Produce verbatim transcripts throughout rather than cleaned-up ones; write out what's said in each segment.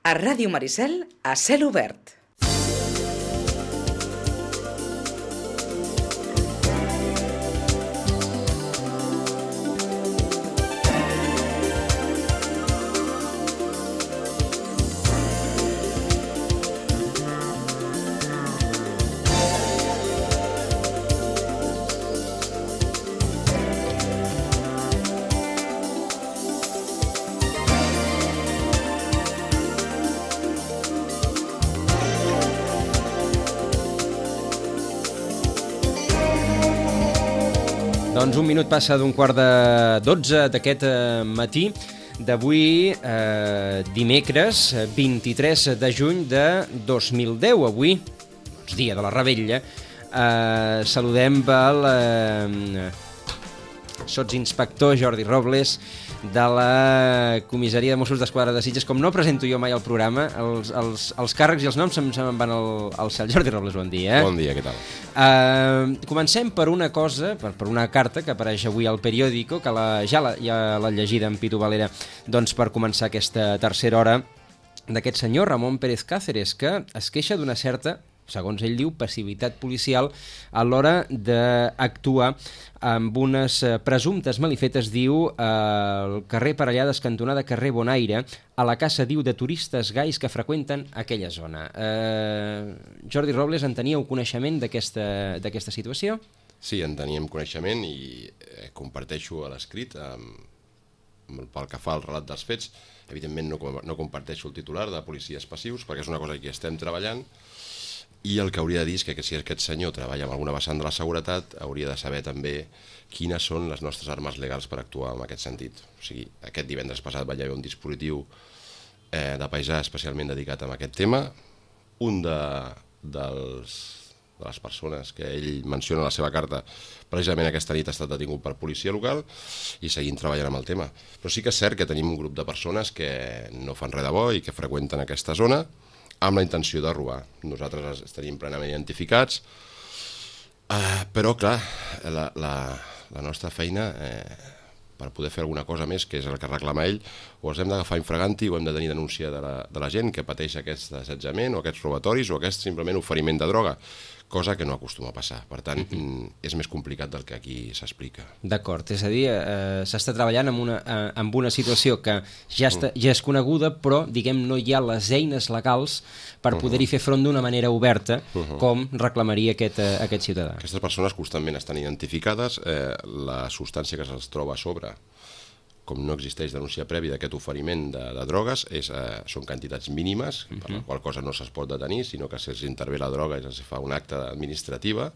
A Ràdio Maricel, a cel obert. Doncs un minut passa d'un quart de dotze d'aquest matí d'avui, eh, dimecres, vint-i-tres de juny de dos mil deu. Avui, doncs, dia de la Revetlla, eh, saludem el eh, sotsinspector Jordi Robles de la Comissaria de Mossos d'Esquadra de Sitges. Com no presento jo mai al programa, els, els, els càrrecs i els noms se'm, se'm van al, al cel. Jordi Robles, bon dia. Bon dia, què tal? Uh, comencem per una cosa, per, per una carta que apareix avui al periòdico, que la, ja l'ha ja l'ha llegida en Pitu Valera, doncs per començar aquesta tercera hora, d'aquest senyor Ramon Pérez Cáceres, que es queixa d'una certa, segons ell diu, passivitat policial a l'hora d'actuar amb unes presumptes malifetes, diu, al carrer Parellades, cantonada carrer Bonaire, a la casa, diu, de turistes gais que freqüenten aquella zona. Eh, Jordi Robles, en teníeu coneixement d'aquesta d'aquesta situació? Sí, en teníem coneixement i eh, comparteixo a l'escrit amb, amb, pel que fa al relat dels fets. Evidentment no, no comparteixo el titular de policies passius perquè és una cosa que estem treballant. I el que hauria de dir és que si aquest senyor treballa amb alguna vessant de la seguretat, hauria de saber també quines són les nostres armes legals per actuar en aquest sentit. O sigui, aquest divendres passat va haver un dispositiu eh, de paisà especialment dedicat a aquest tema. Un de, dels, de les persones que ell menciona a la seva carta, precisament aquesta nit ha estat detingut per policia local i seguim treballant amb el tema. Però sí que és cert que tenim un grup de persones que no fan res de bo i que freqüenten aquesta zona amb la intenció de robar. Nosaltres els tenim plenament identificats, uh, però clar, la, la, la nostra feina, eh, per poder fer alguna cosa més, que és el que reclama ell, o els hem d'agafar infraganti o hem de tenir denúncia de la, de la gent que pateix aquest assetjament o aquests robatoris o aquest simplement oferiment de droga, cosa que no acostuma a passar. Per tant, uh-huh. és més complicat del que aquí s'explica. D'acord, és a dir, eh, s'està treballant amb una, eh, amb una situació que ja, està, ja és coneguda, però, diguem, no hi ha les eines legals per poder-hi fer front d'una manera oberta, uh-huh. com reclamaria aquest, eh, aquest ciutadà. Aquestes persones constantment estan identificades, eh, la substància que se'ls troba a sobre, com no existeix denúncia prèvia d'aquest oferiment de, de drogues, és, eh, són quantitats mínimes, uh-huh. per la qual cosa no se'ls pot detenir, sinó que se'ls intervé la droga i se'ls fa un acte administrativa,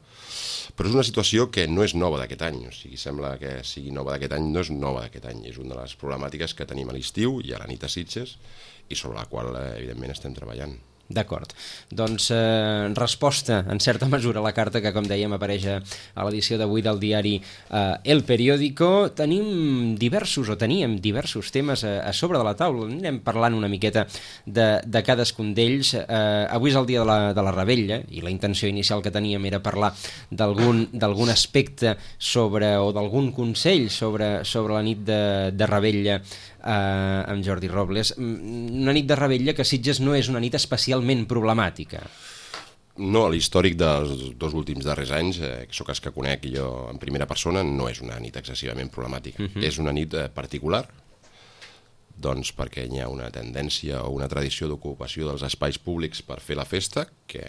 però és una situació que no és nova d'aquest any, o sigui, sembla que sigui nova d'aquest any, no és nova d'aquest any, és una de les problemàtiques que tenim a l'estiu i a la nit a Sitges, i sobre la qual, eh, evidentment, estem treballant. D'acord. Doncs eh, resposta, en certa mesura, a la carta que, com dèiem, apareix a l'edició d'avui del diari eh, El Periódico. Tenim diversos, o teníem diversos temes a, a sobre de la taula. Anirem parlant una miqueta de, de cadascun d'ells. Eh, avui és el dia de la, de la Revetlla, i la intenció inicial que teníem era parlar d'algun d'algun aspecte sobre, o d'algun consell sobre, sobre la nit de, de Revetlla eh, amb Jordi Robles. Una nit de Revetlla que Sitges no és una nit especialment problemàtica. No, l'històric dels dos últims darrers anys, eh, que sóc els que conec jo en primera persona, no és una nit excessivament problemàtica. Uh-huh. És una nit eh, particular, doncs perquè hi ha una tendència o una tradició d'ocupació dels espais públics per fer la festa, que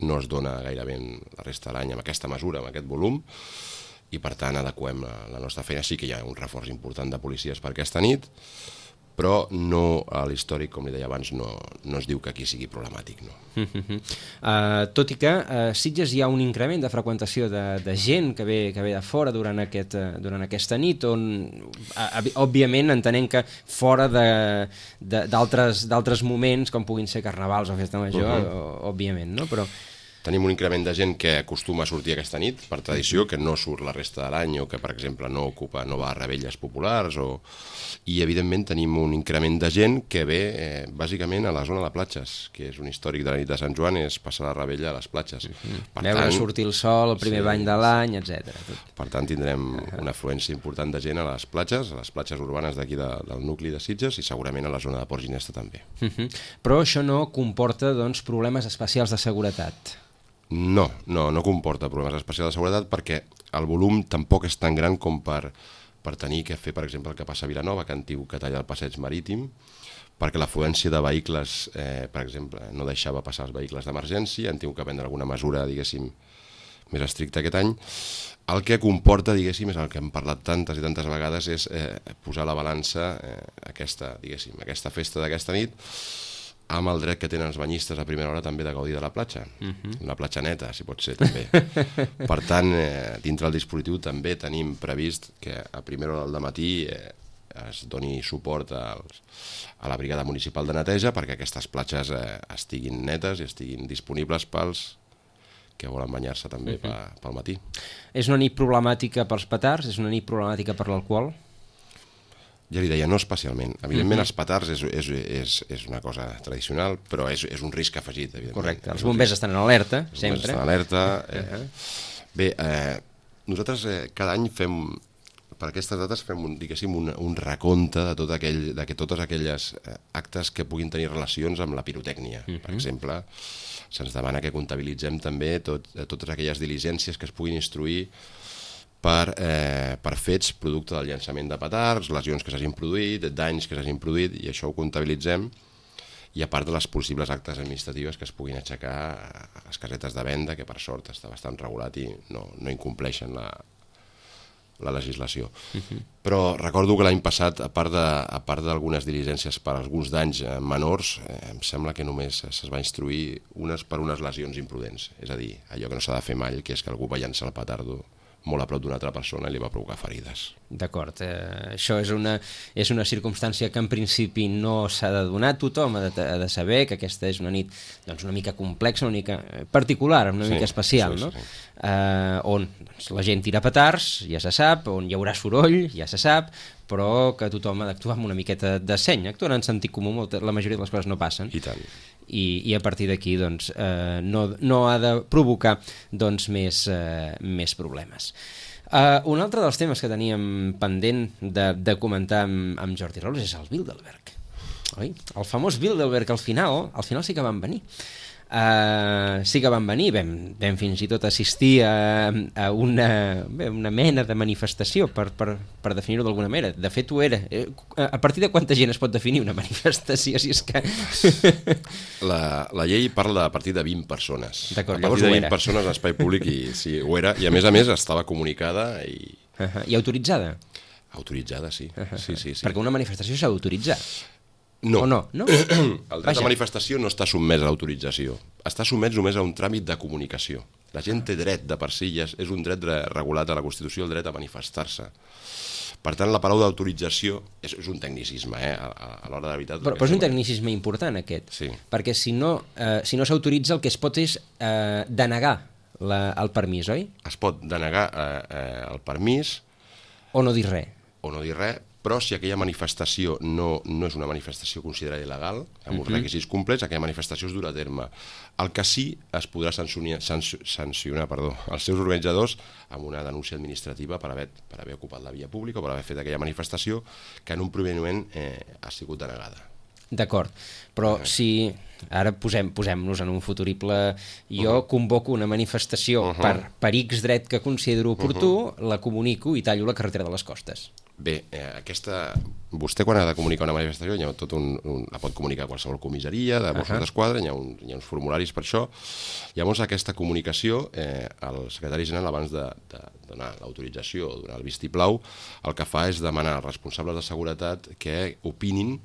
no es dona gairebé la resta de l'any amb aquesta mesura, amb aquest volum, i per tant adequem la, la nostra feina. Sí que hi ha un reforç important de policies per aquesta nit, però no, a l'històric, com li deia abans, no, no es diu que aquí sigui problemàtic. No. Uh-huh. uh, tot i que a uh, Sitges hi ha un increment de freqüentació de, de gent que ve, que ve de fora durant, aquest, uh, durant aquesta nit, on, uh, òbviament, entenent que fora d'altres moments, com puguin ser carnavals o festa major, uh-huh. òbviament, no? Però... Tenim un increment de gent que acostuma a sortir aquesta nit, per tradició, que no surt la resta de l'any o que, per exemple, no ocupa, no va a revetlles populars. O... I, evidentment, tenim un increment de gent que ve, eh, bàsicament, a la zona de platges, que és un històric de la nit de Sant Joan, és passar la rebella a les platges. Mm-hmm. Per Veure tant, sortir el sol, el primer sí, bany de l'any, etcètera. Per tant, tindrem una afluència important de gent a les platges, a les platges urbanes d'aquí de, del nucli de Sitges i segurament a la zona de Port Ginesta també. Mm-hmm. Però això no comporta, doncs, problemes especials de seguretat? No, no, no comporta problemes especials de seguretat perquè el volum tampoc és tan gran com per, per tenir que fer, per exemple, el que passa a Vilanova, que han tingut que tallar el passeig marítim, perquè l'afluència de vehicles, eh, per exemple, no deixava passar els vehicles d'emergència, han tingut que prendre alguna mesura, diguéssim, més estricta aquest any. El que comporta, diguéssim, és el que hem parlat tantes i tantes vegades, és eh, posar la balança, eh, aquesta, diguéssim, aquesta festa d'aquesta nit, amb el dret que tenen els banyistes a primera hora també de gaudir de la platja. Uh-huh. Una platja neta, si pot ser, també. Per tant, eh, dintre del dispositiu també tenim previst que a primera hora del matí eh, es doni suport als, a la brigada municipal de neteja perquè aquestes platges eh, estiguin netes i estiguin disponibles pels que volen banyar-se també uh-huh. pel matí. És una nit problemàtica pels petards? És una nit problemàtica per l'alcohol? Ja li deia, no especialment. Evidentment, uh-huh. els petards és, és, és, és una cosa tradicional, però és, és un risc afegit, evidentment. Correcte, els bombers estan en alerta, els sempre. Els bombers estan en alerta. Eh. Uh-huh. Bé, eh, nosaltres eh, cada any fem, per aquestes dates, fem un, diguéssim, un, un recompte de, tot aquell, de que totes aquelles eh, actes que puguin tenir relacions amb la pirotècnia. Uh-huh. Per exemple, se'ns demana que comptabilitzem també tot, totes aquelles diligències que es puguin instruir per, eh, per fets producte del llançament de petards, lesions que s'hagin produït, danys que s'hagin produït, i això ho comptabilitzem, i a part de les possibles actes administratives que es puguin aixecar a les casetes de venda, que per sort està bastant regulat i no, no incompleixen la, la legislació. Uh-huh. Però recordo que l'any passat, a part de, a part d'algunes diligències per alguns danys menors, eh, em sembla que només es va instruir unes per unes lesions imprudents, és a dir, allò que no s'ha de fer mai, que és que algú va llançar el petardo molt a prop d'una altra persona i li va provocar ferides. D'acord, eh, això és una, és una circumstància que en principi no s'ha de donar. Tothom ha de, ha de saber que aquesta és una nit doncs, una mica complexa, una mica particular, una sí, mica especial, sí, no? Sí, sí. Eh, on doncs, la gent tira petards, ja se sap, on hi haurà soroll, ja se sap, però que tothom ha d'actuar amb una miqueta de seny, actuant en sentit comú, molta, la majoria de les coses no passen. I tant. I, i a partir d'aquí doncs, eh, no, no ha de provocar doncs, més, eh, més problemes. Uh, un altre dels temes que teníem pendent de, de comentar amb, amb Jordi Robles és el Bilderberg. Oi? El famós Bilderberg, al final, al final sí que van venir. Uh, sí que van venir, vam, vam fins i tot assistir a, a una, bé, una mena de manifestació, per, per, per definir-ho d'alguna manera. De fet, ho era. A partir de quanta gent es pot definir una manifestació? Si és que... la, la llei parla a partir de vint persones. D'acord, a partir de vint persones a l'espai públic, i sí, ho era, i a més a més estava comunicada i... Uh-huh. I autoritzada? Autoritzada, sí. Uh-huh. sí, sí, sí. Perquè una manifestació s'ha d'autoritzar. No. O no? no? El dret Vaja. de manifestació no està sotmès a l'autorització. Està sotmès només a un tràmit de comunicació. La gent té dret de per si, és un dret regulat a la Constitució, el dret a manifestar-se. Per tant, la paraula d'autorització és, és un tecnicisme, eh, a, a l'hora de veritat. Però, però és un tecnicisme important, aquest. Sí. Perquè si no, eh, si no s'autoritza, el que es pot és eh, denegar la, el permís, oi? Es pot denegar eh, eh, el permís... O no dir res. O no dir res, però si aquella manifestació no, no és una manifestació considerada il·legal, amb uns uh-huh. requisits complets, aquella manifestació es durà a terme. El que sí es podrà sancionar, sancionar perdó, els seus organitzadors amb una denúncia administrativa per haver, per haver ocupat la via pública o per haver fet aquella manifestació que en un primer moment eh, ha sigut denegada. D'acord, però si ara posem, posem-nos en un futurible, jo uh-huh. convoco una manifestació uh-huh. per, per X dret que considero oportú, uh-huh. la comunico i tallo la carretera de les Costes. Bé, eh, aquesta... vostè quan ha de comunicar una manifestació hi ha tot un, un... la pot comunicar a qualsevol comissaria de Mossos uh-huh. d'Esquadra, hi ha, un, hi ha uns formularis per això. Llavors aquesta comunicació, eh, el secretari general abans de, de donar l'autorització o donar el vistiplau, el que fa és demanar als responsables de seguretat que opinin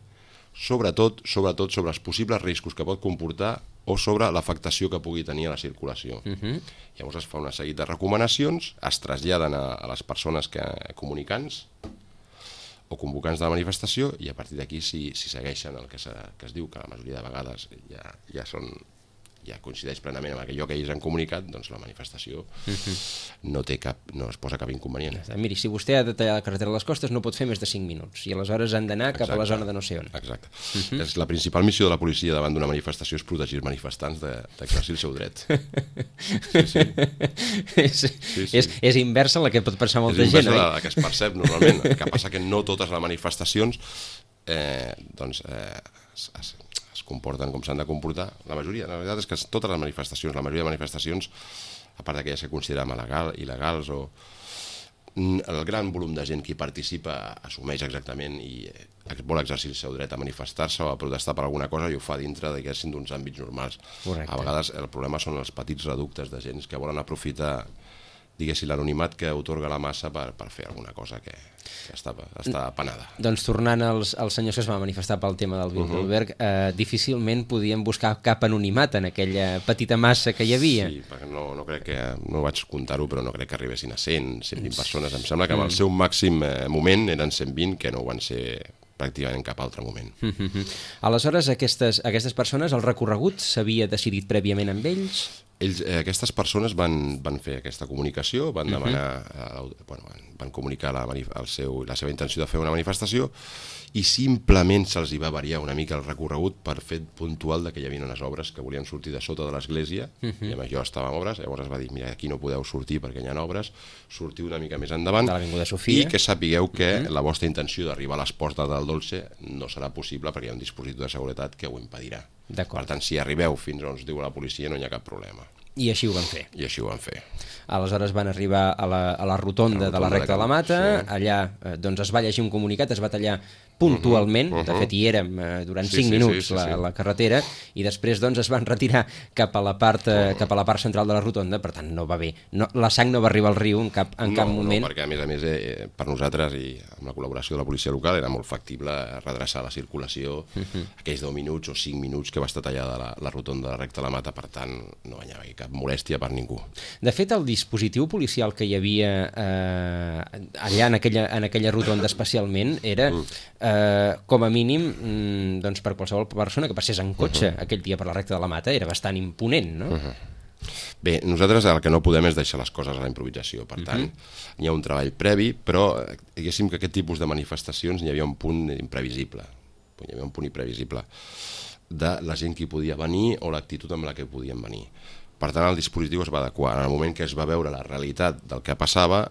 sobretot, sobretot sobre els possibles riscos que pot comportar o sobre l'afectació que pugui tenir a la circulació. Uh-huh. Llavors es fa una seguit de recomanacions, es traslladen a, a les persones que, comunicants o convocants de la manifestació i a partir d'aquí si, si segueixen el que, se, que es diu, que la majoria de vegades ja, ja són ja coincideix plenament amb allò que ells han comunicat, doncs la manifestació no té cap, no es posa cap inconvenient. Miri, si vostè ha de tallar la carretera de les Costes no pot fer més de cinc minuts i aleshores han d'anar cap a la zona de no sé on. Exacte. Uh-huh. És la principal missió de la policia davant d'una manifestació és protegir els manifestants d'exercir el seu dret. Sí, sí. és, sí, sí. És, és inversa la que pot pensar molta gent. És inversa la, la que es percep normalment. El que passa que no totes les manifestacions eh, doncs, eh, es, es, es comporten com s'han de comportar. La majoria, la veritat és que totes les manifestacions, la majoria de manifestacions, a part d'aquelles que considerem il·legal, il·legals o el gran volum de gent que hi participa assumeix exactament i vol exercir el seu dret a manifestar-se o a protestar per alguna cosa i ho fa dintre d'uns àmbits normals. Correcte. A vegades el problema són els petits reductes de gent que volen aprofitar diguéssim, l'anonimat que otorga la massa per, per fer alguna cosa que, que està, està penada. Doncs tornant als, als senyors que es van manifestar pel tema del Bilderberg, uh -huh. eh, difícilment podien buscar cap anonimat en aquella petita massa que hi havia. Sí, perquè no, no crec que, no vaig comptar-ho, però no crec que arribessin a cent, cent vint persones. Em sembla que amb el seu màxim eh, moment eren cent vint, que no ho van ser pràcticament en cap altre moment. Uh-huh. Aleshores, aquestes, aquestes persones, el recorregut s'havia decidit prèviament amb ells? Ells, eh, aquestes persones van, van fer aquesta comunicació, van demanar, uh-huh. eh, bueno, van, van comunicar la, el seu, la seva intenció de fer una manifestació i simplement se'ls hi va variar una mica el recorregut per fet puntual de que hi havia unes obres que volien sortir de sota de l'església uh-huh. i amb això estàvem obres, llavors es va dir, mira, aquí no podeu sortir perquè hi ha obres, sortiu una mica més endavant i que sapigueu que uh-huh. la vostra intenció d'arribar a les portes del Dolce no serà possible perquè hi ha un dispositiu de seguretat que ho impedirà. Per tant, si arribeu fins on us diu la policia no hi ha cap problema. I així ho van fer. I així ho van fer. Aleshores van arribar a la, a la rotonda, la rotonda de la Recta de la Mata, sí. Allà eh, doncs es va llegir un comunicat, es va tallar puntualment, uh -huh, uh -huh. de fet hi érem eh, durant sí, cinc sí, minuts sí, sí, la, sí. la carretera, i després doncs es van retirar cap a la part, eh, cap a la part central de la rotonda, per tant no va bé. No, la sang no va arribar al riu en cap, en no, cap moment. No, perquè a més a més eh, per nosaltres i amb la col·laboració de la policia local era molt factible redreçar la circulació uh -huh. aquells deu minuts o cinc minuts que va estar tallada la, la rotonda de la Recta de la Mata, per tant no hi havia cap molèstia per ningú. De fet, el dispositiu policial que hi havia eh, allà en aquella, en aquella rotonda especialment era eh, com a mínim mm, doncs per qualsevol persona que passés en cotxe uh -huh. aquell dia per la Recta de la Mata era bastant imponent, no? Uh -huh. Bé, nosaltres el que no podem és deixar les coses a la improvisació, per tant, uh -huh. hi ha un treball previ, però diguéssim que aquest tipus de manifestacions hi havia un punt imprevisible, hi havia un punt imprevisible de la gent que hi podia venir o l'actitud amb la que podien venir. Per tant, el dispositiu es va adequar. En el moment que es va veure la realitat del que passava,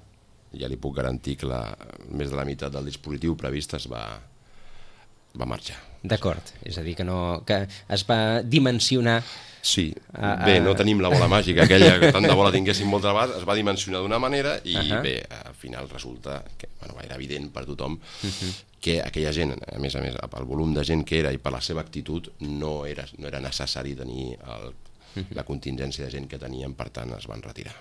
ja li puc garantir que la, més de la meitat del dispositiu previst es va, va marxar. D'acord, és a dir, que, no, que es va dimensionar... Sí, bé, no tenim la bola màgica aquella que tant de bola tinguéssim moltes vegades, es va dimensionar d'una manera i uh -huh. bé, al final resulta que bueno, era evident per tothom uh -huh. que aquella gent, a més a més, pel volum de gent que era i per la seva actitud, no era, no era necessari tenir el, la contingència de gent que tenien, per tant es van retirar.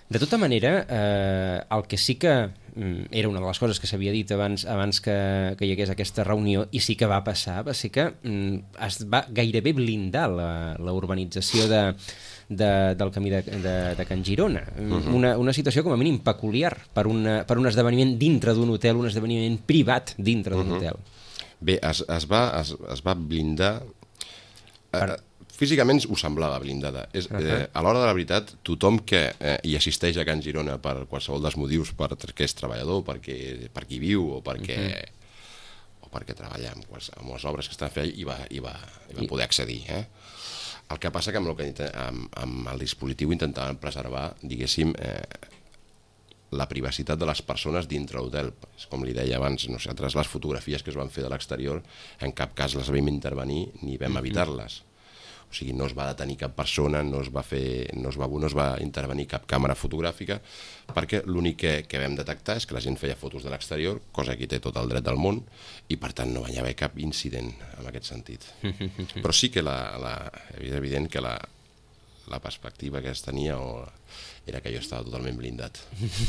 De tota manera, eh, el que sí que mm, era una de les coses que s'havia dit abans, abans que, que hi hagués aquesta reunió, i sí que va passar, va ser que mm, es va gairebé blindar la, la urbanització de, de, del camí de, de, de Can Girona. Uh-huh. una, una situació com a mínim peculiar per, una, per un esdeveniment dintre d'un hotel, un esdeveniment privat dintre d'un uh-huh. hotel. Bé, es, es, va, es, es va blindar... Per... Eh, físicament ho semblava blindada. És, uh-huh. eh, a l'hora de la veritat, tothom que eh, hi assisteix a Can Girona per qualsevol dels motius, perquè és treballador, perquè, perquè hi viu o perquè, uh-huh. o perquè treballa amb, quals, amb les obres que estan fent, hi va, hi va, hi va poder accedir. Eh? El que passa que amb, el, que amb, amb el dispositiu intentaven preservar, diguéssim, eh, la privacitat de les persones dintre l'hotel. Com li deia abans, nosaltres les fotografies que es van fer de l'exterior en cap cas les vam intervenir ni vam uh-huh. evitar-les. O sigui, no es va detenir cap persona, no es va fer, no es va, no es va intervenir cap càmera fotogràfica, perquè l'únic que, que vam detectar és que la gent feia fotos de l'exterior, cosa que té tot el dret del món, i per tant no va haver cap incident en aquest sentit. Però sí que la, la, és evident que la, la perspectiva que es tenia o era que jo estava totalment blindat.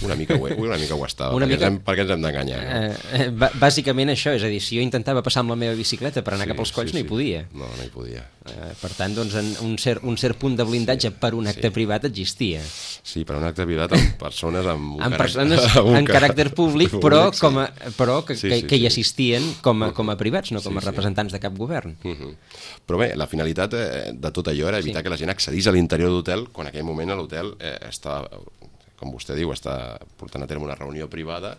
Una mica ho, una mica ho estava, una perquè, mica... ens hem, perquè ens hem d'enganyar. No? Eh, eh, bàsicament això, és a dir, si jo intentava passar amb la meva bicicleta per anar sí, cap als colls, sí, no hi podia. Sí. No, no hi podia. Eh, per tant, doncs, en un, cert, un cert punt de blindatge sí, per un acte sí. privat existia. Sí, per un acte privat amb persones amb, un amb caràcter, persones amb en caràcter públic, però, sí. com a, però que, sí, que, sí, que hi sí. assistien com a, com a privats, no com a sí, representants sí. de cap govern. Uh -huh. Però bé, la finalitat eh, de tot allò era evitar sí. que la gent accedís a l'interior d'hotel quan en aquell moment a l'hotel eh, estava... com vostè diu, està portant a terme una reunió privada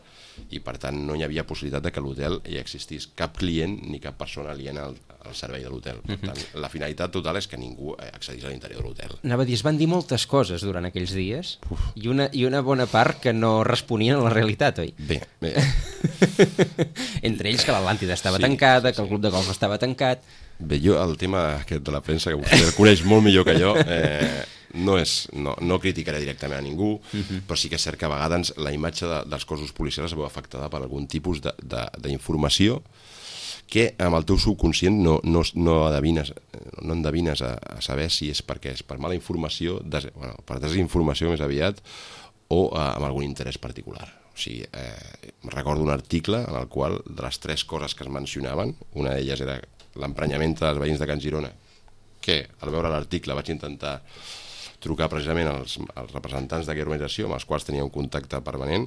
i, per tant, no hi havia possibilitat de que a l'hotel hi existís cap client ni cap persona aliena al, al servei de l'hotel. Per tant, la finalitat total és que ningú accedís a l'interior de l'hotel. Anava a dir, es van dir moltes coses durant aquells dies i una, i una bona part que no responien a la realitat, oi? Bé, bé. Entre ells que l'Atlàntida estava sí, tancada, que el club de golf estava tancat... Bé, jo, el tema aquest de la premsa, que vostè el coneix molt millor que jo... Eh, No, és, no, no criticaré directament a ningú, uh-huh. però sí que és cert que a vegades la imatge de, dels cossos policials es veu afectada per algun tipus d'informació que amb el teu subconscient no, no, no endevines, no endevines a, a saber si és perquè és per mala informació, des, bueno, per desinformació més aviat, o eh, amb algun interès particular. O sigui, eh, recordo un article en el qual de les tres coses que es mencionaven, una d'elles era l'emprenyament dels veïns de Can Girona, que al veure l'article vaig intentar trucar precisament als, als representants d'aquella organització amb els quals tenia un contacte permanent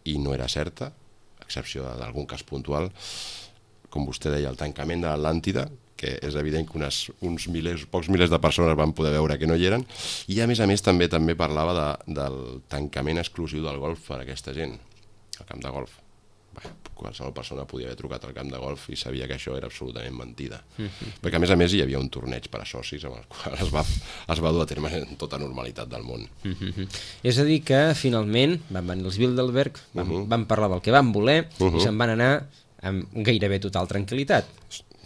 i no era certa, a excepció d'algun cas puntual, com vostè deia, el tancament de l'Atlàntida, que és evident que unes, uns milers, pocs milers de persones van poder veure que no hi eren, i a més a més també també parlava de, del tancament exclusiu del golf per a aquesta gent, al camp de golf. Bé, qualsevol persona podia haver trucat al camp de golf i sabia que això era absolutament mentida. Mm-hmm. Perquè a més a més hi havia un torneig per a socis amb el qual es va, es va dur a terme en tota normalitat del món. Mm-hmm. És a dir que finalment van venir els Bilderberg, van, uh-huh. van parlar del que van voler uh-huh. i se'n van anar amb gairebé total tranquil·litat.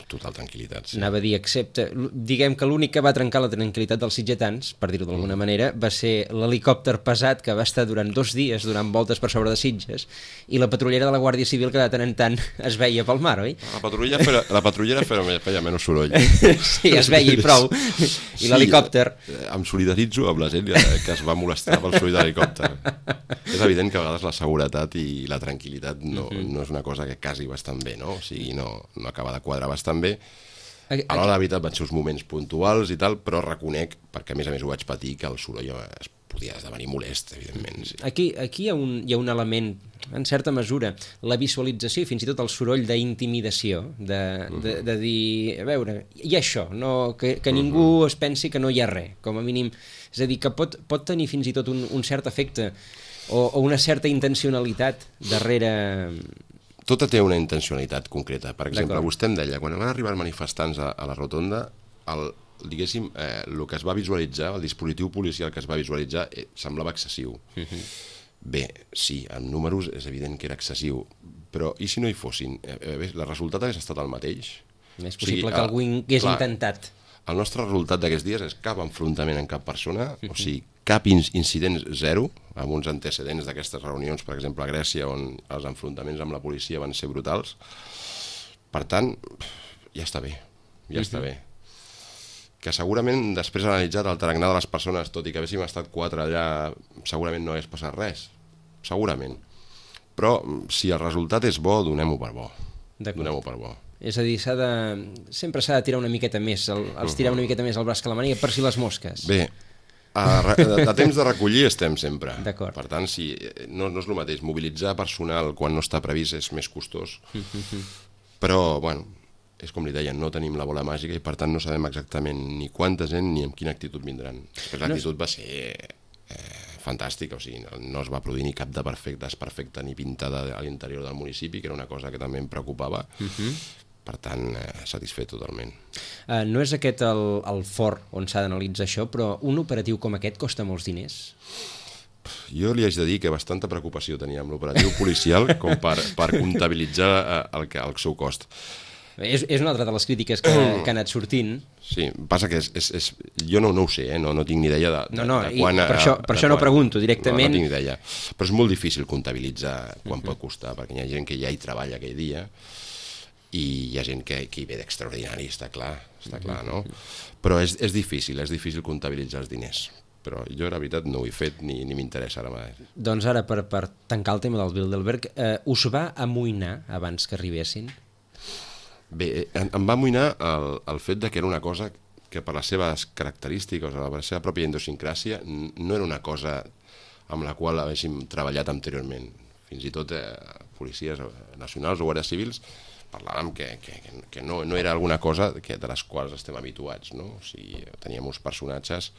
Total tranquil·litat, sí. Anava a dir, excepte... Diguem que l'únic que va trencar la tranquil·litat dels sitgetans, per dir-ho d'alguna mm. manera, va ser l'helicòpter pesat que va estar durant dos dies donant voltes per sobre de Sitges i la patrullera de la Guàrdia Civil que de tant en tant es veia pel mar, oi? La patrullera feia, la patrullera feia, feia menys soroll. Sí, es veia i prou. I sí, l'helicòpter... Em solidaritzo amb la gent que es va molestar pel soroll de l'helicòpter. És evident que a vegades la seguretat i la tranquil·litat no, mm-hmm. no és una cosa que casi bastant bé, no? O sigui, no, no acaba de quadrar bastant bé. A l'hora, la veritat, van ser uns moments puntuals i tal, però reconec, perquè a més a més ho vaig patir, que el soroll es podia esdevenir molest, evidentment. Sí. Aquí, aquí hi, ha un, hi ha un element, en certa mesura, la visualització i fins i tot el soroll d'intimidació, de, uh-huh. de, de dir, a veure, hi ha això, no, que, que ningú uh-huh. es pensi que no hi ha res, com a mínim. És a dir, que pot, pot tenir fins i tot un, un cert efecte o, o una certa intencionalitat darrere... Tota té una intencionalitat concreta. Per exemple, vostè em deia, quan van arribar els manifestants a, a la rotonda, el, diguéssim, eh, el que es va visualitzar, el dispositiu policial que es va visualitzar, eh, semblava excessiu. Uh-huh. Bé, sí, en números és evident que era excessiu, però i si no hi fossin? Eh, eh, el resultat hagués estat el mateix? És possible o sigui, que algú hagués clar, intentat. El nostre resultat d'aquests dies és cap enfrontament amb cap persona, uh-huh. o sigui, cap incident zero, amb uns antecedents d'aquestes reunions, per exemple, a Grècia, on els enfrontaments amb la policia van ser brutals. Per tant, ja està bé, ja uh-huh. està bé. Que segurament, després d'analitzar el tarannà de les persones, tot i que haguéssim estat quatre allà, segurament no hagués passat res. Segurament. Però, si el resultat és bo, donem-ho per bo. Donem-ho per bo. És a dir, s'ha de... sempre s'ha de tirar una miqueta més, el, els tirar una miqueta més el braç que la màniga per si les mosques. Bé, a, a temps de recollir estem sempre. D'acord. Per tant, si, no, no és el mateix. Mobilitzar personal quan no està previst és més costós. Però, bueno, és com li deien, no tenim la bola màgica i per tant no sabem exactament ni quanta gent ni amb quina actitud vindran. Després l'actitud va ser eh, fantàstica, o sigui, no, no es va produir ni cap de perfecte, desperfecte ni pintada a l'interior del municipi, que era una cosa que també em preocupava. Uh-huh. Per tant, eh, satisfet totalment. Uh, no és aquest el, el fort on s'ha d'analitzar això, però un operatiu com aquest costa molts diners? Jo li haig de dir que bastanta preocupació tenia amb l'operatiu policial com per, per comptabilitzar el, el seu cost. És, és una altra de les crítiques que, que ha anat sortint. Sí, passa que és, és, és, jo no, no ho sé, eh? no, no tinc ni idea de, de, no, no, de quan... Per això, per això no pregunto directament. No, no tinc ni idea, però és molt difícil comptabilitzar quan uh-huh. pot costar, perquè hi ha gent que ja hi treballa aquell dia i hi ha gent que, que hi ve d'extraordinari, està clar, està clar, no? Però és, és difícil, és difícil comptabilitzar els diners. però jo, la veritat, no ho he fet ni, ni m'interessa ara mai. Doncs ara, per, per tancar el tema del Bilderberg, eh, us va amoïnar abans que arribessin? Bé, em, em va amoïnar el, el fet de que era una cosa que per les seves característiques, o per la seva pròpia idiosincràsia, no era una cosa amb la qual haguéssim treballat anteriorment. Fins i tot eh, policies nacionals o guàrdies civils parlàvem que, que, que no, no era alguna cosa que, de les quals estem habituats, no? O sigui, teníem uns personatges,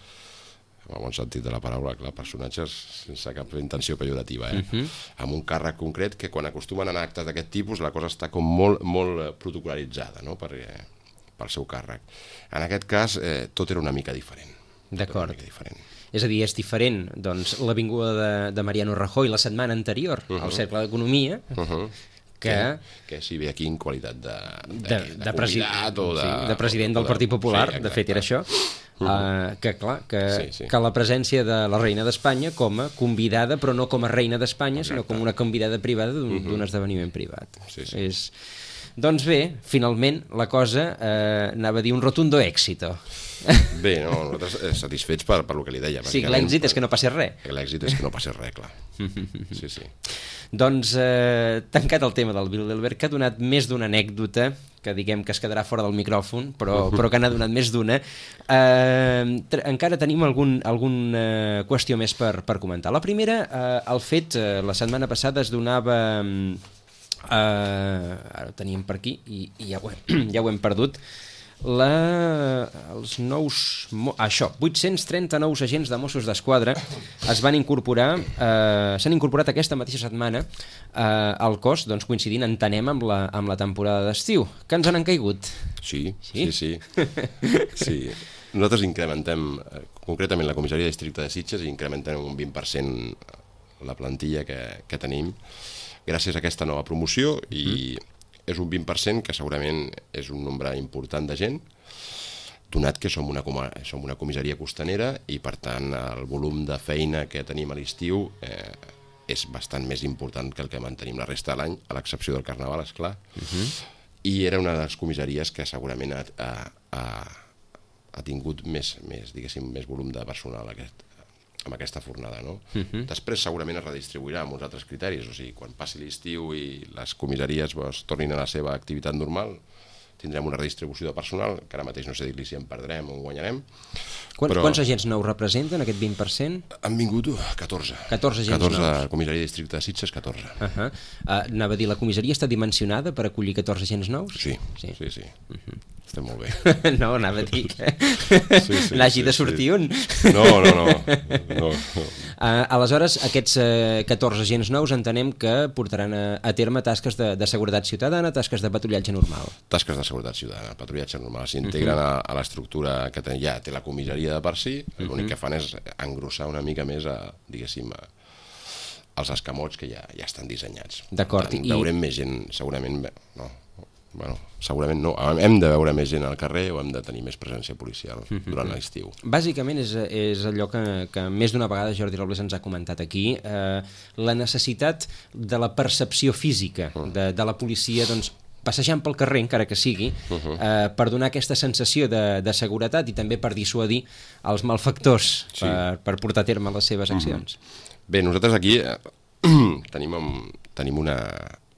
en el bon sentit de la paraula, clar, personatges sense cap intenció pejorativa, eh? Uh-huh. Amb un càrrec concret que quan acostumen a anar a actes d'aquest tipus la cosa està com molt, molt protocol·laritzada, no? Perquè, pel seu càrrec. En aquest cas, eh, tot era una mica diferent. D'acord. És a dir, és diferent doncs, l'avinguda de, de Mariano Rajoy la setmana anterior uh-huh. al Cercle d'Economia, uh-huh. que... que... Que si ve aquí en qualitat de, de, de, de, de convidat o de... Sí, de president del Partit Popular, sí, de fet era això, uh-huh. uh, que clar, que, sí, sí. que la presència de la reina d'Espanya com a convidada, però no com a reina d'Espanya, sinó com una convidada privada d'un uh-huh. esdeveniment privat. Sí, sí. És... Doncs bé, finalment la cosa eh, anava a dir un rotundo èxito. Bé, no, nosaltres satisfets per, per el que li deia. Sí, l'èxit és que no passi res. L'èxit és que no passi res, clar. Sí, sí. Doncs, eh, tancat el tema del Bilderberg, que ha donat més d'una anècdota, que diguem que es quedarà fora del micròfon, però, però que n'ha donat més d'una, eh, encara tenim algun, alguna qüestió més per, per comentar. La primera, eh, el fet, eh, la setmana passada es donava... Uh, ara ho teníem per aquí i, i ja, ho hem, ja ho hem perdut la, els nous això, vuit-cents trenta nous agents de Mossos d'Esquadra es van incorporar uh, s'han incorporat aquesta mateixa setmana uh, al cos, doncs coincidint entenem amb la, amb la temporada d'estiu. Que ens han caigut? Sí, sí, sí, sí. sí. Nosaltres incrementem concretament la comissaria de districte de Sitges i incrementem un vint per cent la plantilla que, que tenim gràcies a aquesta nova promoció i mm. és un vint per cent que segurament és un nombre important de gent, donat que som una, som una comissaria costanera i per tant el volum de feina que tenim a l'estiu eh, és bastant més important que el que mantenim la resta de l'any, a l'excepció del Carnaval, esclar. Mm-hmm. I era una de les comissaries que segurament ha, ha, ha tingut més, més, diguéssim, més volum de personal aquest, amb aquesta fornada, no? Uh-huh. Després segurament es redistribuirà amb uns altres criteris, o sigui, quan passi l'estiu i les comissaries pues, tornin a la seva activitat normal, tindrem una redistribució de personal, que ara mateix no sé dir-li si en perdrem o en guanyarem. Quants, però... quants agents nous representen, aquest vint per cent? Han vingut catorze. catorze agents catorze, nous. Comissaria de districte de Sitges, catorze. Uh-huh. uh, anava a dir, la comissaria està dimensionada per acollir catorze agents nous? Sí, sí, sí. sí. Uh-huh. Estem molt bé. No, anava a dir que sí, sí, n'hagi sí, de sortir sí. un. No, no, no. no, no. Uh, aleshores, aquests uh, catorze agents nous entenem que portaran a, a terme tasques de, de seguretat ciutadana, tasques de patrullatge normal. Tasques de seguretat ciutadana, patrullatge normal. S'integren uh-huh. a, a l'estructura que ten, ja té la comissaria de per si, uh-huh. l'únic que fan és engrossar una mica més a, diguéssim, a, als escamots que ja, ja estan dissenyats. D'acord. I... Veurem més gent, segurament... No. Bueno, segurament no, hem de veure més gent al carrer o hem de tenir més presència policial durant l'estiu. Bàsicament és, és allò que, que més d'una vegada Jordi Robles ens ha comentat aquí, eh, la necessitat de la percepció física de, de la policia, doncs, passejant pel carrer, encara que sigui, eh, per donar aquesta sensació de, de seguretat i també per dissuadir els malfactors sí. per, per portar a terme les seves accions. Bé, nosaltres aquí eh, tenim, tenim una...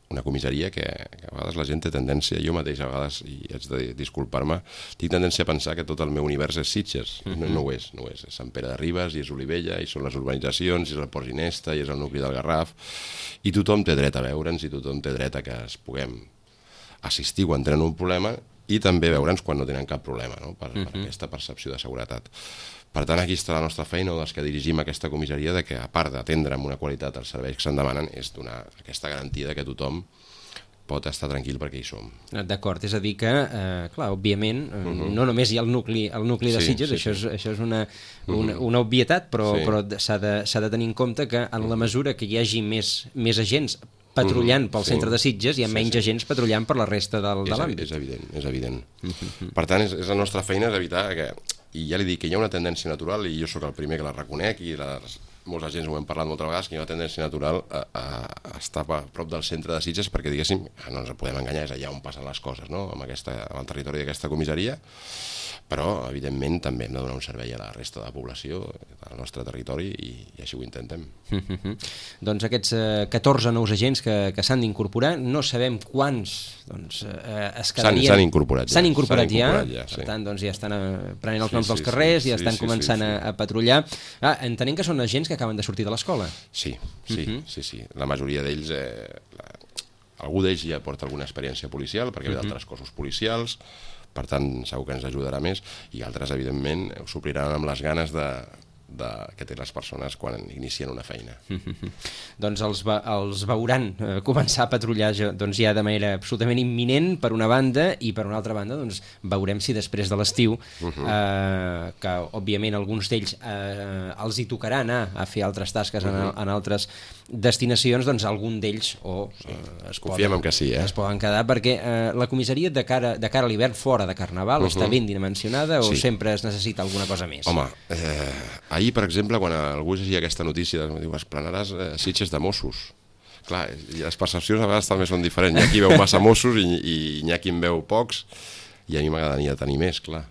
una comissaria que, que a vegades la gent té tendència, jo mateix a vegades, i haig de disculpar-me, tinc tendència a pensar que tot el meu univers és Sitges. Uh-huh. no, no ho és, no ho és. És Sant Pere de Ribes, i és Olivella, i són les urbanitzacions, i és el Port Ginesta, i és el nucli del Garraf, i tothom té dret a veure'ns, i tothom té dret a que es puguem assistir quan tenen un problema, i també veure'ns quan no tenen cap problema, no? per, uh-huh. per aquesta percepció de seguretat. Per tant, aquí està la nostra feina, o dels que dirigim aquesta comissaria, de que, a part d'atendre amb una qualitat els serveis que se'n demanen, és donar aquesta garantia que tothom pot estar tranquil perquè hi som. D'acord, és a dir que, eh, clar, òbviament, uh-huh. no només hi ha el nucli, el nucli de sí, Sitges, sí, això, és, sí. això és una, una, una obvietat, però, sí. però s'ha de, s'ha de tenir en compte que en la mesura que hi hagi més, més agents patrullant pel sí. centre de Sitges, hi ha sí, menys sí. agents patrullant per la resta del, de l'àmbit. És evident, és evident. Uh-huh. Per tant, és, és la nostra feina és evitar que... I ja li dic que hi ha una tendència natural, i jo sóc el primer que la reconec, i les, molts agents ho hem parlat moltes vegades, que hi ha una tendència natural a, a, a estar a prop del centre de Sitges, perquè, diguéssim, no ens podem enganyar, és allà on passen les coses, no? amb, aquesta, amb el territori d'aquesta comissaria. però, evidentment, també hem de donar un servei a la resta de la població del nostre territori i, i així ho intentem. Mm-hmm. Doncs aquests eh, catorze nous agents que, que s'han d'incorporar, no sabem quants doncs, eh, es quedarien... S'han incorporat ja. S'han incorporat ja, incorporat ja sí. Per tant, doncs, ja estan eh, prenent els sí, noms sí, dels carrers, sí, ja estan sí, començant sí, sí. A, a patrullar. Ah, entenem que són agents que acaben de sortir de l'escola. Sí, sí, Mm-hmm. sí, sí. La majoria d'ells... Eh, la... Algú d'ells ja porta alguna experiència policial, perquè ve d'altres cossos policials, per tant segur que ens ajudarà més, i altres evidentment ho supliran amb les ganes de, de, que té les persones quan inicien una feina. Mm-hmm. Doncs els, ve, els veuran eh, començar a patrullar ja, doncs ja de manera absolutament imminent per una banda, i per una altra banda doncs veurem si després de l'estiu uh-huh. eh, que òbviament alguns d'ells eh, els hi tocarà anar a fer altres tasques uh-huh. en, en altres destinacions, doncs algun d'ells o sí. eh, es, Confiem poden, en que sí, eh? es poden quedar, perquè eh, la comissaria de cara, de cara a l'hivern fora de Carnaval uh-huh. està ben dimensionada o sí. sempre es necessita alguna cosa més? Home, eh, ahir per exemple quan algú llegia aquesta notícia diu, esplanaràs eh, Sitges de Mossos. Clar, les percepcions a vegades també són diferents, hi ha qui veu massa Mossos i, i hi ha qui en veu pocs, i a mi m'agradaria tenir més, clar,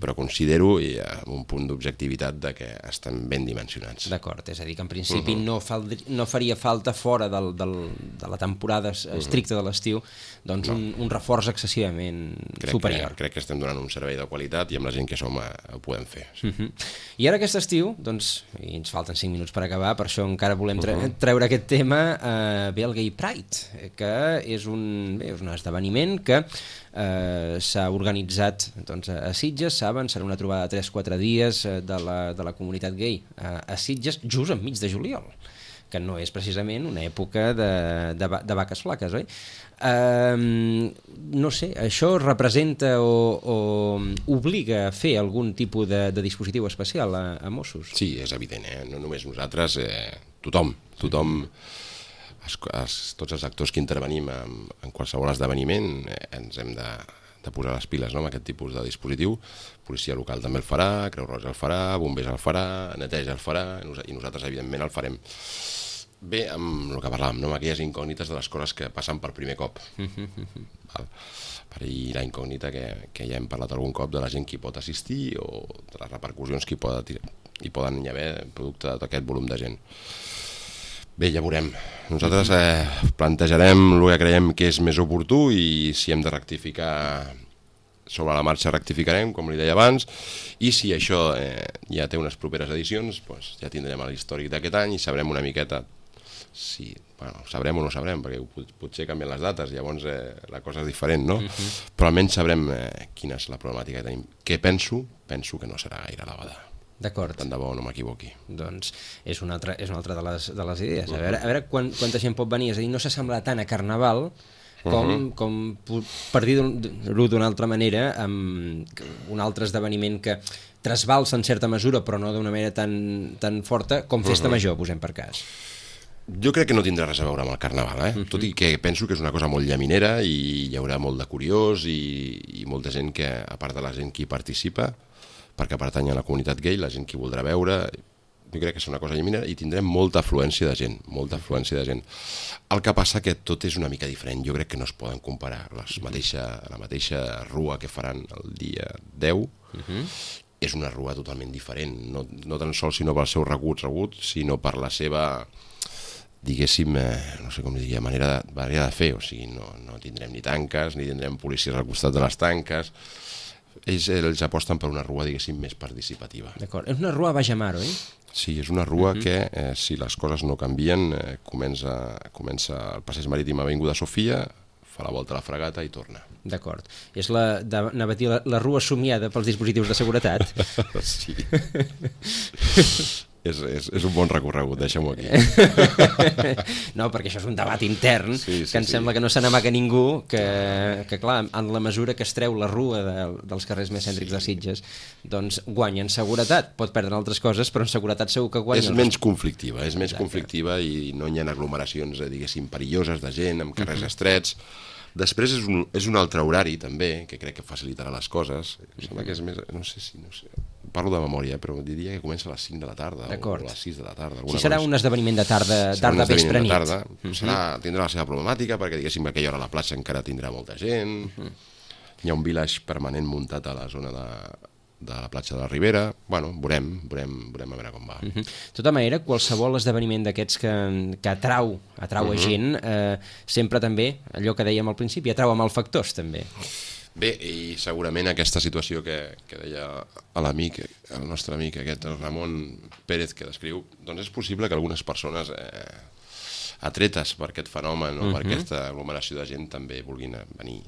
però considero i amb un punt d'objectivitat de que estan ben dimensionats. D'acord, és a dir, que en principi uh-huh. no, fal, no faria falta fora del, del, de la temporada estricta de l'estiu doncs no. un, un reforç excessivament crec superior. Que, crec que estem donant un servei de qualitat i amb la gent que som eh, ho podem fer. Sí. Uh-huh. I ara aquest estiu, doncs, i ens falten cinc minuts per acabar, per això encara volem tre uh-huh. treure aquest tema, eh, ve el Gay Pride, que és un, bé, és un esdeveniment que eh, s'ha organitzat doncs, a Sitges, saben, serà una trobada de tres quatre dies de la, de la comunitat gay a, a Sitges, just enmig de juliol, que no és precisament una època de, de, de vaques flaques, oi? Um, no sé, això representa o, o obliga a fer algun tipus de, de dispositiu especial a, a Mossos? Sí, és evident, eh? No només nosaltres, eh, tothom, tothom, es, es, tots els actors que intervenim en, en qualsevol esdeveniment eh, ens hem de, de posar les piles, no?, amb aquest tipus de dispositiu. Policia local també el farà, Creu Roja el farà, Bombers el farà, Neteja el farà, i nosaltres evidentment el farem. Bé, amb el que parlàvem, no?, amb aquelles incògnites de les coses que passen per primer cop. Val? Per ahir la incògnita que, que ja hem parlat algun cop de la gent que hi pot assistir o de les repercussions que hi, pot, hi poden hi haver producte de tot aquest volum de gent. Bé, ja veurem. Nosaltres eh, plantejarem el que creiem que és més oportú i si hem de rectificar sobre la marxa rectificarem, com li deia abans, i si això eh, ja té unes properes edicions, doncs ja tindrem l'històric d'aquest any i sabrem una miqueta si, bueno, sabrem o no sabrem, perquè potser canvien les dates, llavors eh, la cosa és diferent, no? Uh-huh. Però almenys sabrem eh, quina és la problemàtica que tenim. Què penso? Penso que no serà gaire elevada. D'acord. Tant de bo no m'equivoqui. Doncs és una altra, és una altra de, les, de les idees. A veure, a veure quan, quanta gent pot venir. És a dir, no s'assembla tant a Carnaval com, uh-huh. com per dir-ho d'una altra manera, amb un altre esdeveniment que trasbalsa en certa mesura, però no d'una manera tan, tan forta, com Festa uh-huh. Major, posem per cas. Jo crec que no tindrà res a veure amb el Carnaval, eh? Uh-huh. Tot i que penso que és una cosa molt llaminera i hi haurà molt de curiós i, i molta gent que, a part de la gent que hi participa, perquè pertany a la comunitat gay, la gent que hi voldrà veure, jo crec que és una cosa llaminera i tindrem molta afluència de gent, molta afluència de gent. El que passa que tot és una mica diferent, jo crec que no es poden comparar. Les mateixa, la mateixa rua que faran el dia deu uh-huh. és una rua totalment diferent, no, no tan sols sinó pel seu regut, regut, sinó per la seva, diguéssim, eh, no sé com diria, manera de, manera de fer, o sigui, no, no tindrem ni tanques, ni tindrem policies al costat de les tanques. Ells, ells aposten per una rua, diguéssim, més participativa. D'acord. És una rua a baix mar, oi? Sí, és una rua uh-huh. que, eh, si les coses no canvien, eh, comença, comença el passeig marítim a Avinguda Sofia, fa la volta a la Fragata i torna. D'acord. És la, de, anava a dir, la, la rua somiada pels dispositius de seguretat. Sí. És, és, és un bon recorregut, deixem-ho aquí. No, perquè això és un debat intern, sí, sí, que em sí. sembla que no se n'amaga ningú, que, que clar, en la mesura que es treu la rua de, dels carrers més cèntrics sí. de Sitges, doncs guanya en seguretat, pot perdre altres coses, però en seguretat segur que guanya. És menys conflictiva, és menys conflictiva i no hi ha aglomeracions, diguéssim, perilloses de gent, amb carrers uh-huh. estrets. Després és un, és un altre horari, també, que crec que facilitarà les coses. Em sembla que és més... No sé si... No sé, parlo de memòria, però diria que comença a les cinc de la tarda o a les sis de la tarda. Si serà un esdeveniment de tarda, tarda vespre nit. Tarda, uh-huh. serà, tindrà la seva problemàtica, perquè diguéssim que aquella hora a la plaça encara tindrà molta gent... Uh-huh. hi ha un village permanent muntat a la zona de, de la platja de la Ribera. Bueno, veurem, veurem, veurem a veure com va. Uh -huh. De tota manera, qualsevol esdeveniment d'aquests que, que atrau, atrau uh -huh. a gent, eh, sempre també, allò que dèiem al principi, atrau a malfactors també. Bé, i segurament aquesta situació que, que deia l'amic, el nostre amic aquest, el Ramon Pérez, que descriu, doncs és possible que algunes persones eh, atretes per aquest fenomen o uh -huh. per aquesta aglomeració de gent també vulguin venir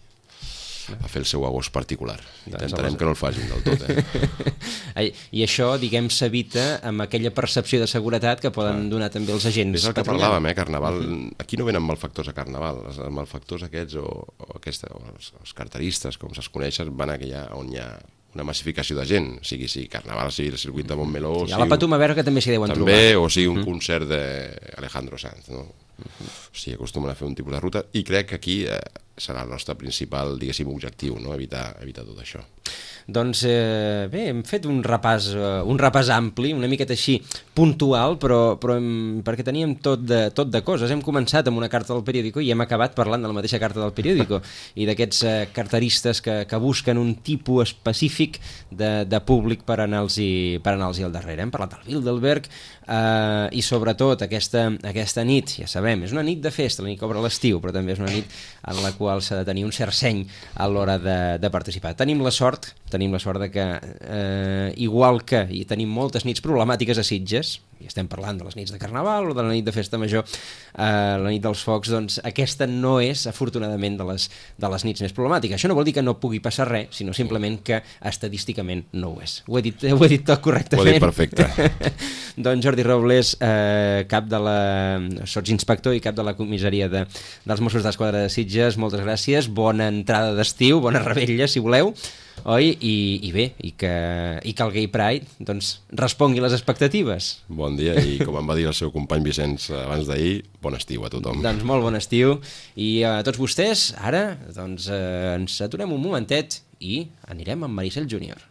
a fer el seu agost particular. Intentarem doncs que no el facin del tot, eh? I això, diguem, s'evita amb aquella percepció de seguretat que poden ah. donar també els agents. És el que parlàvem, eh, Carnaval. Uh-huh. Aquí no venen malfactors a Carnaval. Els malfactors aquests o, o, aquesta, o els, els carteristes, com se'ls coneixen, van a aquella on hi ha una massificació de gent, sigui sí, Carnaval, sigui el circuit de Montmeló... Hi ha la Patum a veure que també s'hi deuen també, trobar. També, o sigui un uh-huh. concert d'Alejandro Sanz, no? Uh-huh. O sigui, acostumen a fer un tipus de ruta i crec que aquí eh, serà el nostre principal, diguéssim, objectiu, no? Evitar, evitar tot això. Doncs eh, bé, hem fet un repàs, uh, un repàs ampli, una miqueta així puntual, però, però hem, perquè teníem tot de, tot de coses. Hem començat amb una carta del periòdico i hem acabat parlant de la mateixa carta del periòdico i d'aquests eh, carteristes que, que busquen un tipus específic de, de públic per anar-los per anar-los al darrere. Hem parlat del Bilderberg eh, i sobretot aquesta, aquesta nit, ja sabem, és una nit de festa, la nit que obre l'estiu, però també és una nit en la qual s'ha de tenir un cert seny a l'hora de, de participar. Tenim la sort tenim la sort de que, eh, igual que i tenim moltes nits problemàtiques a Sitges, i estem parlant de les nits de Carnaval o de la nit de Festa Major, eh, la nit dels focs, doncs aquesta no és, afortunadament, de les, de les nits més problemàtiques. Això no vol dir que no pugui passar res, sinó simplement que estadísticament no ho és. Ho he dit, ho he dit tot correctament. Ho he dit perfecte. Doncs Jordi Robles, eh, cap de la... sotsinspector i cap de la comissaria de, dels Mossos d'Esquadra de Sitges, moltes gràcies, bona entrada d'estiu, bona revetlla, si voleu, oi? I, i bé, i que, i que el Gay Pride doncs, respongui les expectatives. Bon dia, i com em va dir el seu company Vicenç abans d'ahir, bon estiu a tothom. Doncs molt bon estiu, i a tots vostès, ara doncs, eh, ens aturem un momentet i anirem amb Maricel Júnior.